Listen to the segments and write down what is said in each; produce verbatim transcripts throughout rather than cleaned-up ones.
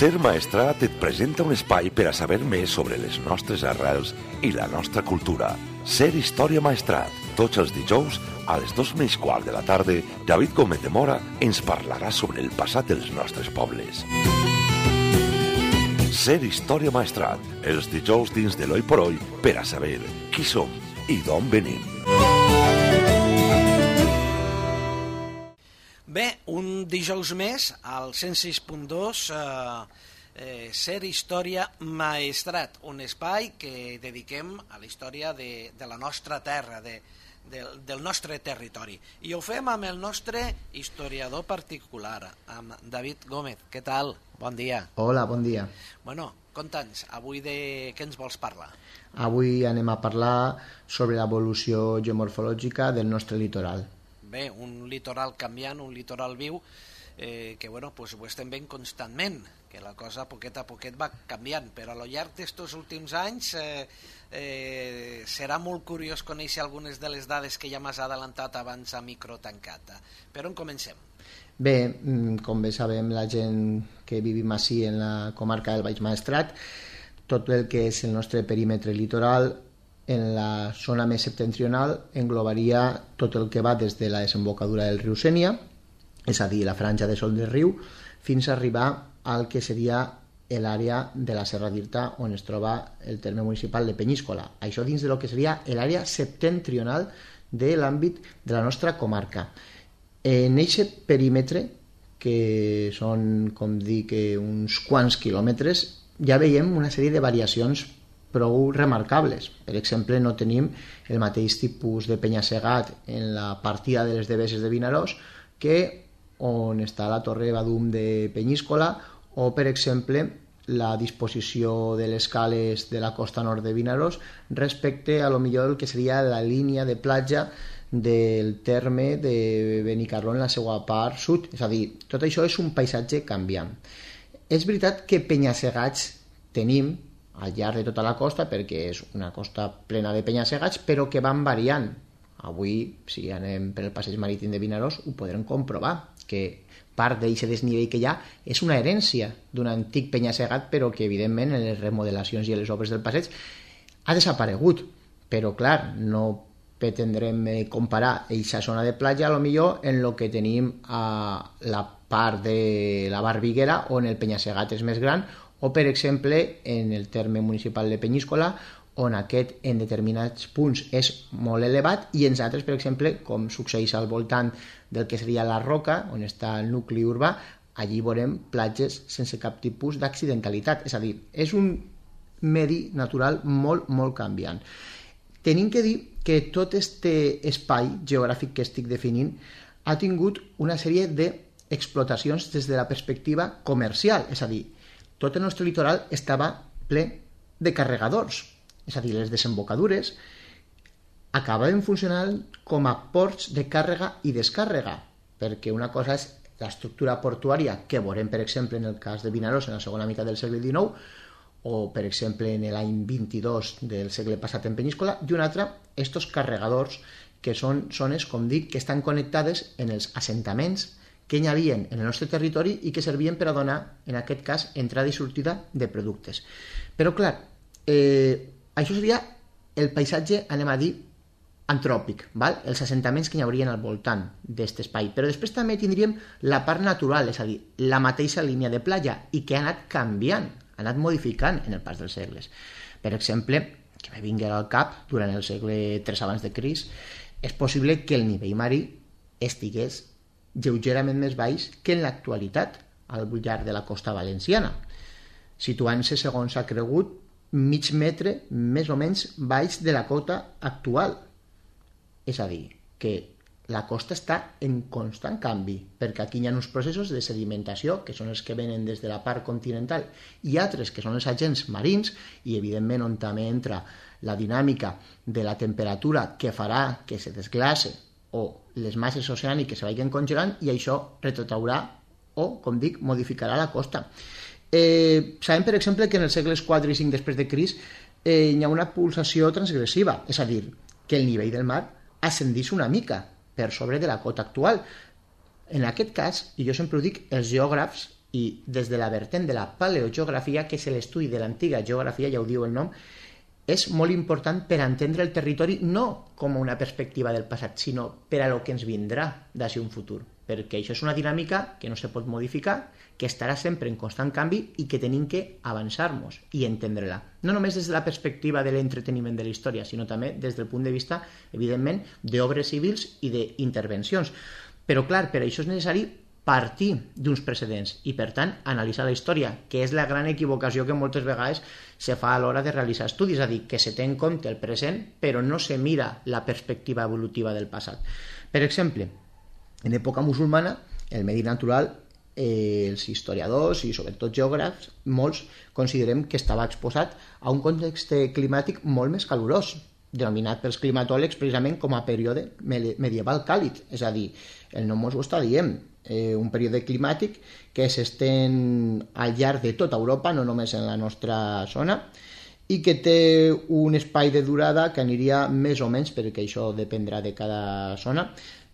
Ser Maestrat et presenta un espai per a saber més sobre les nostres arrels i la nostra cultura. Ser Història Maestrat. Tots els dijous, a les dos menys quart de la tarda, David Gómez de Mora ens parlarà sobre el passat dels nostres pobles. Ser Història Maestrat. Els dijous dins de l'Oi por Oi per a saber qui som i d'on venim. Bé, un dijous més, al cent sis punt dos, eh, eh, Ser Història Maestrat, un espai que dediquem a la història de, de la nostra terra, de, de, del nostre territori. I ho fem amb el nostre historiador particular, amb David Gómez. Què tal? Bon dia. Hola, bon dia. Bueno, conta'ns, avui de què ens vols parlar? Avui anem a parlar sobre l'evolució geomorfològica del nostre litoral. Bé, un litoral canviant, un litoral viu, eh, que bueno, pues ho estem veient constantment, que la cosa poquet a poquet va canviant, però a lo llarg d'estos últims anys eh, eh, serà molt curiós conèixer algunes de les dades que ja m'has adelantat abans a micro tancat. Per on comencem? Bé, com bé sabem, la gent que vivim així en la comarca del Baix Maestrat, tot el que és el nostre perímetre litoral, en la zona més septentrional englobaria tot el que va des de la desembocadura del riu Sénia, és a dir, la franja de sol del riu, fins a arribar al que seria l'àrea de la Serra d'Irta, on es troba el terme municipal de Penyíscola. Això dins de lo que seria l'àrea septentrional de l'àmbit de la nostra comarca. En aquest perímetre, que són, com dic, uns quants quilòmetres, ja veiem una sèrie de variacions prou remarcables. Per exemple, no tenim el mateix tipus de penya-segat en la partida de les Deveses de Vinaròs que on està la Torre Badum de Penyíscola o, per exemple, la disposició de les cales de la costa nord de Vinaròs respecte a lo millor el que seria la línia de platja del terme de Benicarló en la seva part sud. És a dir, tot això és un paisatge canviant. És veritat que penya-segats tenim al llarg de tota la costa, perquè és una costa plena de penya-segats, però que van variant. Avui, si anem per el passeig marítim de Vinaròs, ho podrem comprovar, que part d'aquest desnivell que hi ha és una herència d'un antic penya-segat, però que, evidentment, en les remodelacions i en les obres del passeig ha desaparegut. Però, clar, no pretendrem comparar aquesta zona de platja, a lo millor, en el que tenim a la part de la Barbiguera, on el penya-segat és més gran, o, per exemple, en el terme municipal de Penyíscola, on aquest en determinats punts és molt elevat i en altres, per exemple, com succeeix al voltant del que seria la Roca, on està el nucli urbà, allí veurem platges sense cap tipus d'accidentalitat. És a dir, és un medi natural molt, molt canviant. Tenim que dir que tot aquest espai geogràfic que estic definint ha tingut una sèrie d'explotacions des de la perspectiva comercial, és a dir, tot el nostre litoral estava ple de carregadors, és a dir, les desembocadures acabaven funcionant com a ports de càrrega i descàrrega, perquè una cosa és l'estructura portuària que veurem, per exemple, en el cas de Vinaròs en la segona meitat del segle dinou, o, per exemple, en l'any vint-i-dos del segle passat en Penyíscola, i una altra, estos carregadors, que són zones, com dic, que estan connectades en els assentaments que hi havia en el nostre territori i que servien per a donar, en aquest cas, entrada i sortida de productes. Però, clar, eh, això seria el paisatge, anem a dir, antròpic, val? Els assentaments que hi haurien al voltant d'aquest espai. Però després també tindríem la part natural, és a dir, la mateixa línia de platja, i que ha anat canviant, ha anat modificant en el pas dels segles. Per exemple, que me vingui al cap, durant el segle tres abans de Crist, és possible que el nivell marí estigués lleugerament més baix que en l'actualitat al llarg de la costa valenciana, situant-se, segons s'ha cregut, mig metre més o menys baix de la cota actual. És a dir, que la costa està en constant canvi, perquè aquí hi ha uns processos de sedimentació, que són els que venen des de la part continental, i altres que són els agents marins, i evidentment on també entra la dinàmica de la temperatura que farà que se desglace o les masses oceàniques se vagin congelant, i això retrotraurà o, com dic, modificarà la costa. Eh, sabem, per exemple, que en els segles quatre i cinc després de Crist eh, hi ha una pulsació transgressiva, és a dir, que el nivell del mar ascendís una mica per sobre de la cota actual. En aquest cas, i jo sempre ho dic, els geògrafs i des de la vertent de la paleogeografia, que és l'estudi de l'antiga geografia, ja ho diu el nom, és molt important per entendre el territori no com una perspectiva del passat, sinó per a lo que ens vindrà d'ací un futur, perquè això és una dinàmica que no se pot modificar, que estarà sempre en constant canvi i que tenim que avançar-nos i entendre-la. No només des de la perspectiva de l'entreteniment de la història, sinó també des del punt de vista, evidentment, d'obres civils i d'intervencions. Però, clar, per això és necessari partir d'uns precedents i, per tant, analitzar la història, que és la gran equivocació que moltes vegades se fa a l'hora de realitzar estudis, és a dir, que se té en compte el present, però no se mira la perspectiva evolutiva del passat. Per exemple, en època musulmana, el medi natural, eh, els historiadors i sobretot geògrafs, molts considerem que estava exposat a un context climàtic molt més calorós, denominat pels climatòlegs precisament com a període medieval càlid, és a dir, el nom ens ho està dient, eh, un període climàtic que s'estén al llarg de tota Europa, no només en la nostra zona, i que té un espai de durada que aniria més o menys, perquè això dependrà de cada zona,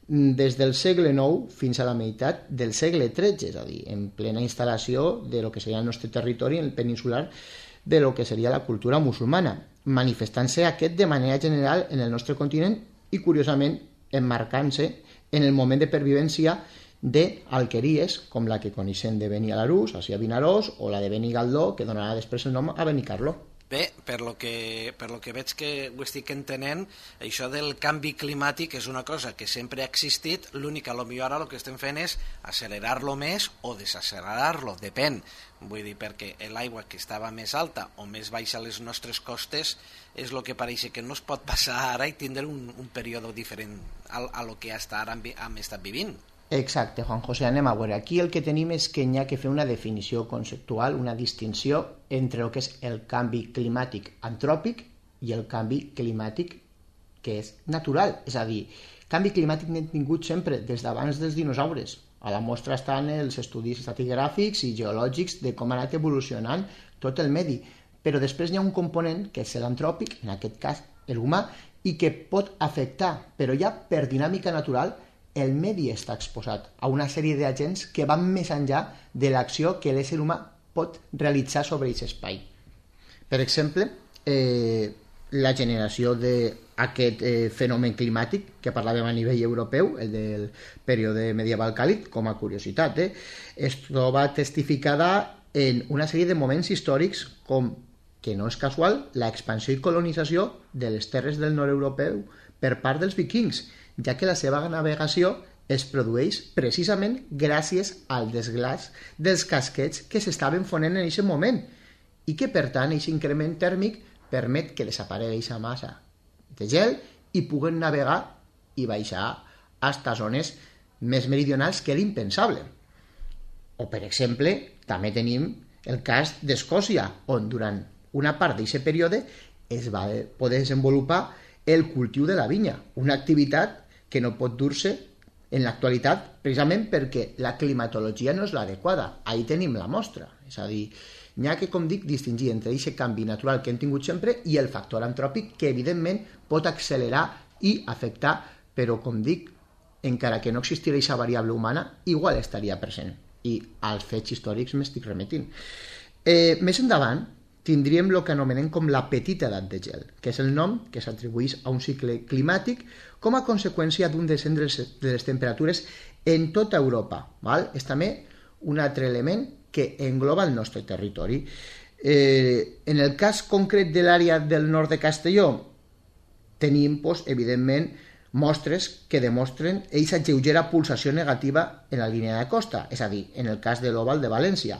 des del segle nou fins a la meitat del segle tretze, és a dir, en plena instal·lació de lo que seria el nostre territori, el peninsular, de lo que seria la cultura musulmana, manifestant-se aquest de manera general en el nostre continent i, curiosament, emmarcant-se en el moment de pervivència d'alqueries com la que coneixem de Benialarús, així a Vinaròs, o la de Benigaldó, que donarà després el nom a Benicarló. Bé, per lo que, per lo que veig que ho estic entenent, això del canvi climàtic és una cosa que sempre ha existit, l'únic que potser ara el que estem fent és accelerar-lo més o desaccelerar-lo, depèn. Vull dir, perquè l'aigua que estava més alta o més baixa a les nostres costes és el que pareix que no es pot passar ara i tindre un, un període diferent a, a lo que hasta ara hem, hem estat vivint. Exacte, Juan José, anem a veure. Aquí el que tenim és que n'hi ha que fer una definició conceptual, una distinció entre el que és el canvi climàtic antròpic i el canvi climàtic que és natural. És a dir, canvi climàtic n'hem tingut sempre, des d'abans dels dinosaures. A la mostra estan els estudis estratigràfics i geològics de com ha anat evolucionant tot el medi. Però després hi ha un component, que és l'antròpic, en aquest cas l'humà, i que pot afectar, però ja per dinàmica natural, el medi està exposat a una sèrie d'agents que van més enllà de l'acció que l'ésser humà pot realitzar sobre aquest espai. Per exemple, eh, la generació d'aquest eh, fenomen climàtic que parlàvem a nivell europeu, el del període medieval càlid, com a curiositat, eh, es troba testificada en una sèrie de moments històrics com, que no és casual, l'expansió i colonització de les terres del nord europeu per part dels vikings, ja que la seva navegació es produeix precisament gràcies al desglaç dels casquets que s'estaven fonent en aquest moment i que, per tant, aquest increment tèrmic permet que desaparegui aquesta massa de gel i puguen navegar i baixar fins a zones més meridionals que era impensable. O, per exemple, també tenim el cas d'Escòcia, on durant una part d'aquest període es va poder desenvolupar el cultiu de la vinya, una activitat que no pot dur-se en l'actualitat precisament perquè la climatologia no és l'adequada. Ahí tenim la mostra. És a dir, n'hi ha que, com dic, distingir entre aquest canvi natural que hem tingut sempre i el factor antròpic que, evidentment, pot accelerar i afectar, però, com dic, encara que no existira aquesta variable humana, igual estaria present. I als fets històrics m'estic remetint. Eh, més endavant, tindríem el que anomenem com la petita edat de gel, que és el nom que s'atribueix a un cicle climàtic com a conseqüència d'un descens de les temperatures en tota Europa. Val? És també un altre element que engloba el nostre territori. Eh, en el cas concret de l'àrea del nord de Castelló, tenim, doncs, evidentment, mostres que demostren aquesta lleugera pulsació negativa en la línia de costa, és a dir, en el cas de l'Oval de València.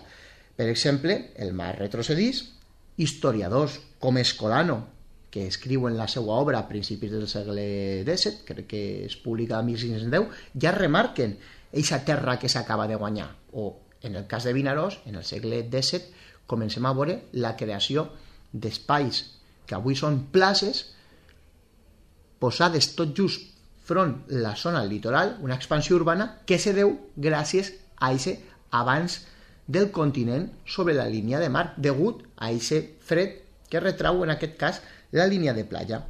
Per exemple, el mar retrocedís. Historiadors com Escolano, que escriuen la seva obra a principis del segle disset, crec que es publica a mil cinc-cents deu, ja remarquen aquesta terra que s'acaba de guanyar. O, en el cas de Vinaròs, en el segle disset, comencem a veure la creació d'espais que avui són places posades tot just front la zona litoral, una expansió urbana que se deu gràcies a aquest avanç del continent sobre la línia de mar, degut a aquest fred que retrau, en aquest cas, la línia de platja.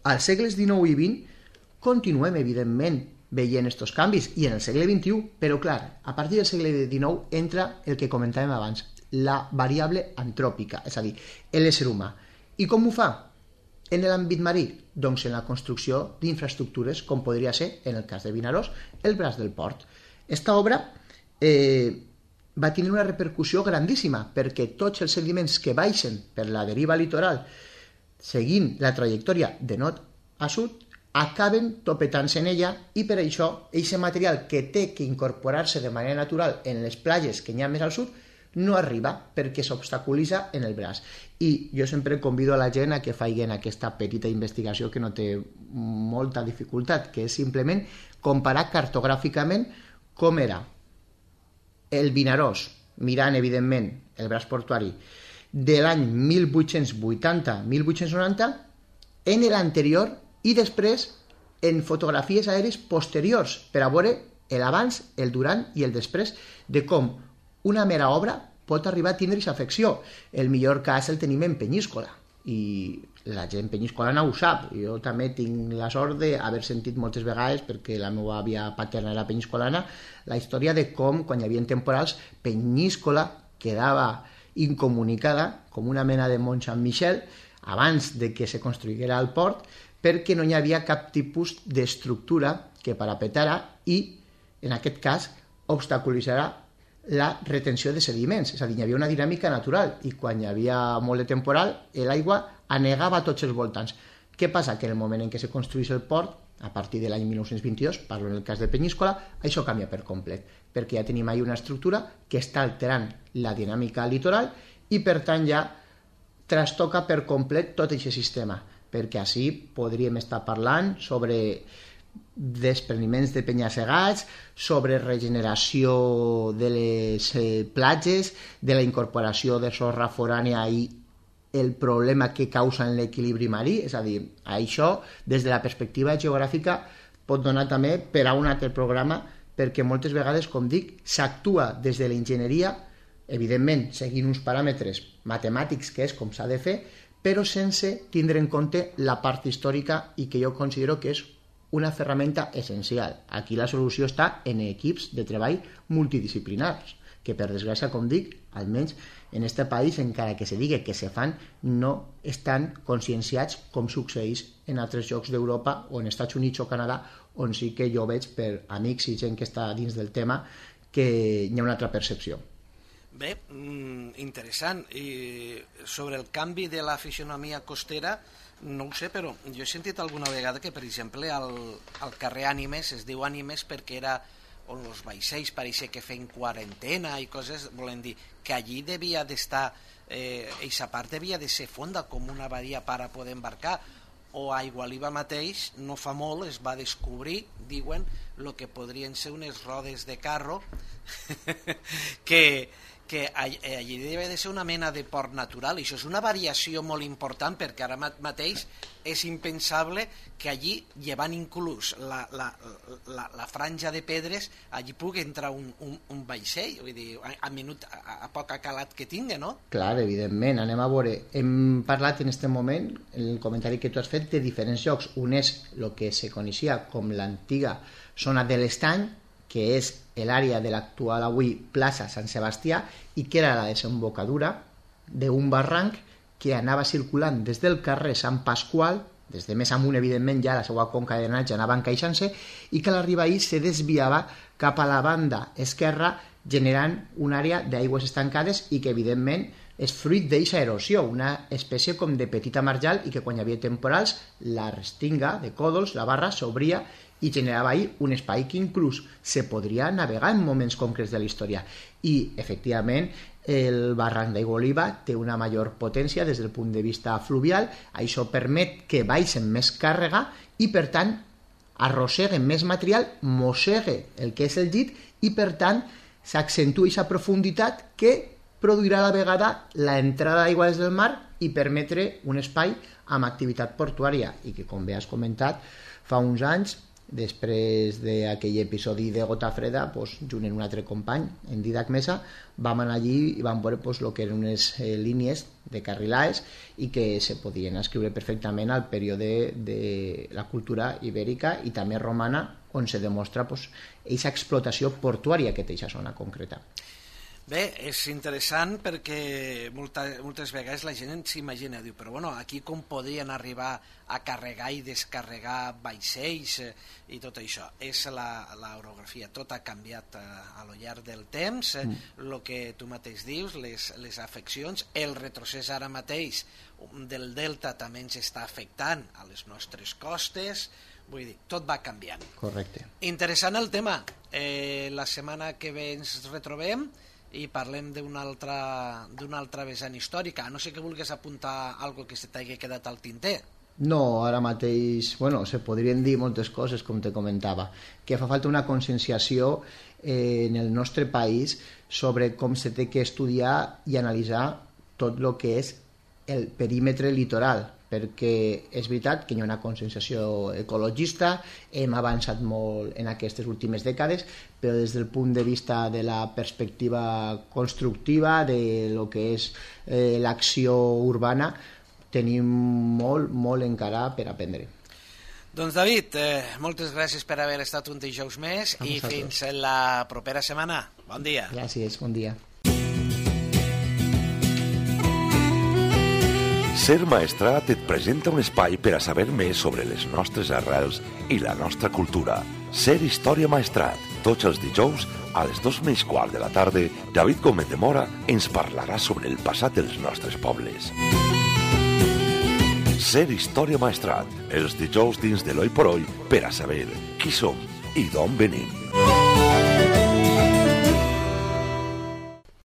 Als segles dinou i vint continuem, evidentment, veient aquests canvis, i en el segle vint-i-u, però clar, a partir del segle dinou entra el que comentàvem abans, la variable antròpica, és a dir, l'ésser humà. I com ho fa? En l'àmbit marí? Doncs en la construcció d'infraestructures, com podria ser, en el cas de Vinaròs, el braç del port. Esta obra eh, va tenir una repercussió grandíssima, perquè tots els sediments que baixen per la deriva litoral, seguint la trajectòria de nord a sud, acaben topetant-se en ella, i per això, aquest material que té que incorporar-se de manera natural en les platges que hi ha més al sud, no arriba perquè s'obstaculitza en el braç. I jo sempre convido a la gent a que facin aquesta petita investigació que no té molta dificultat, que és simplement comparar cartogràficament com era el Vinaròs, mirant evidentment el braç portuari de l'any mil vuit-cents vuitanta a mil vuit-cents noranta en l'anterior i després en fotografies aèries posteriors per a veure l'abans, el durant i el després de com una mera obra pot arribar a tindre aquesta afecció. El millor cas el tenim en Penyíscola, i la gent penyiscolana ho sap. Jo també tinc la sort d'haver sentit moltes vegades, perquè la meva àvia paterna era penyiscolana, la història de com, quan hi havia temporals, Penyíscola quedava incomunicada com una mena de Mont Saint-Michel abans de que se construïguera el port, perquè no hi havia cap tipus d'estructura que parapetara i, en aquest cas, obstaculitzarà la retenció de sediments. És a dir, hi havia una dinàmica natural i quan hi havia molt de temporal, l'aigua anegava a tots els voltants. Què passa? Que en el moment en què se construís el port, a partir de l'any mil nou-cents vint-i-dos, parlo en el cas de Penyíscola, això canvia per complet, perquè ja tenim ahí una estructura que està alterant la dinàmica litoral i, per tant, ja trastoca per complet tot aquest sistema, perquè així podríem estar parlant sobre despreniments de penya-segats, sobre regeneració de les platges, de la incorporació de sorra forània i el problema que causa en l'equilibri marí. És a dir, això, des de la perspectiva geogràfica, pot donar també per a un altre programa, perquè moltes vegades, com dic, s'actua des de l'enginyeria, evidentment, seguint uns paràmetres matemàtics, que és com s'ha de fer, però sense tindre en compte la part històrica i que jo considero que és una ferramenta essencial. Aquí la solució està en equips de treball multidisciplinars, que per desgràcia, com dic, almenys en aquest país, encara que se digui que se fan, no estan conscienciats com succeeix en altres llocs d'Europa o en Estats Units o Canadà, on sí que jo veig per amics i gent que està dins del tema que hi ha una altra percepció. Bé, interessant. I sobre el canvi de la fisionomia costera, no ho sé, però jo he sentit alguna vegada que, per exemple, al, al carrer Ànimes es diu Ànimes perquè era on els vaixells pareixia que feien quarantena i coses, volen dir que allí devia d'estar, eh, eixa part devia de ser fonda com una badia per a poder embarcar, o a Igualiba mateix, no fa molt, es va descobrir, diuen, el que podrien ser unes rodes de carro que... que allí deve de ser una mena de port natural, i això és una variació molt important, perquè ara mateix és impensable que allí, llevant inclús la, la, la, la franja de pedres, allí pugui entrar un, un, un vaixell, vull dir, a, a, minut, a, a poc calat que tingui, no? Clar, evidentment, anem a veure. Hem parlat en aquest moment, el comentari que tu has fet, de diferents llocs. Un és el que se coneixia com l'antiga zona de l'Estany, que és l'àrea de l'actual avui plaça Sant Sebastià, i que era la desembocadura d'un barranc que anava circulant des del carrer Sant Pasqual, des de més amunt, evidentment, ja la seva conca de drenatge anava encaixant-se, i que a l'arribar ahir se desviava cap a la banda esquerra, generant una àrea d'aigües estancades i que, evidentment, és fruit d'aquesta erosió, una espècie com de petita marjal, i que quan hi havia temporals, la restinga de còdols, la barra, s'obria i generava ahir un espai que inclús se podria navegar en moments concrets de la història. I, efectivament, el barranc d'Aigualiba té una major potència des del punt de vista fluvial. Això permet que baixen més càrrega i, per tant, arrosseguen més material, mossegue el que és el llit i, per tant, s'accentua aquesta profunditat que produirà a la vegada l'entrada d'aigua des del mar i permetre un espai amb activitat portuària i que, com bé has comentat, fa uns anys Després d'aquell episodi de Gota Freda, pues, junt amb un altre company, en Didac Mesa, vam anar allí i vam veure pues, el que eren unes eh, línies de Carrilaes i que se podien escriure perfectament al període de la cultura ibèrica i també romana, on se demostra pues, aquesta explotació portuària que té aquesta zona concreta. Bé, és interessant perquè molta, moltes vegades la gent s'imagina, diu, però bueno, aquí com podien arribar a carregar i descarregar vaixells eh, i tot això. És l'orografia, tot ha canviat a, a lo llarg del temps, el mm. que tu mateix dius, les, les afeccions, el retrocés ara mateix del delta també ens està afectant a les nostres costes, vull dir, tot va canviant. Correcte. Interessant el tema. Eh, la setmana que ve ens retrobem i parlem d'una altra, d'una altra vessant històrica. A no sé que vulguis apuntar alguna que se t'hagi quedat al tinter. No, ara mateix, bueno, se podrien dir moltes coses, com te comentava, que fa falta una conscienciació eh, en el nostre país sobre com se té que estudiar i analitzar tot el que és el perímetre litoral, perquè és veritat que hi ha una conscienciació ecologista, hem avançat molt en aquestes últimes dècades, però des del punt de vista de la perspectiva constructiva, de lo que és eh, l'acció urbana, tenim molt, molt encara per aprendre. Doncs David, eh, moltes gràcies per haver estat un dijous més i fins la propera setmana. Bon dia. Gràcies, bon dia. Ser Maestrat et presenta un espai per a saber més sobre les nostres arrels i la nostra cultura. Ser Història Maestrat. Tots els dijous, a les dos menys quart de la tarda, David Gómez de Mora ens parlarà sobre el passat dels nostres pobles. Ser Història Maestrat. Els dijous dins de l'Oi por Oi per a saber qui som i d'on venim.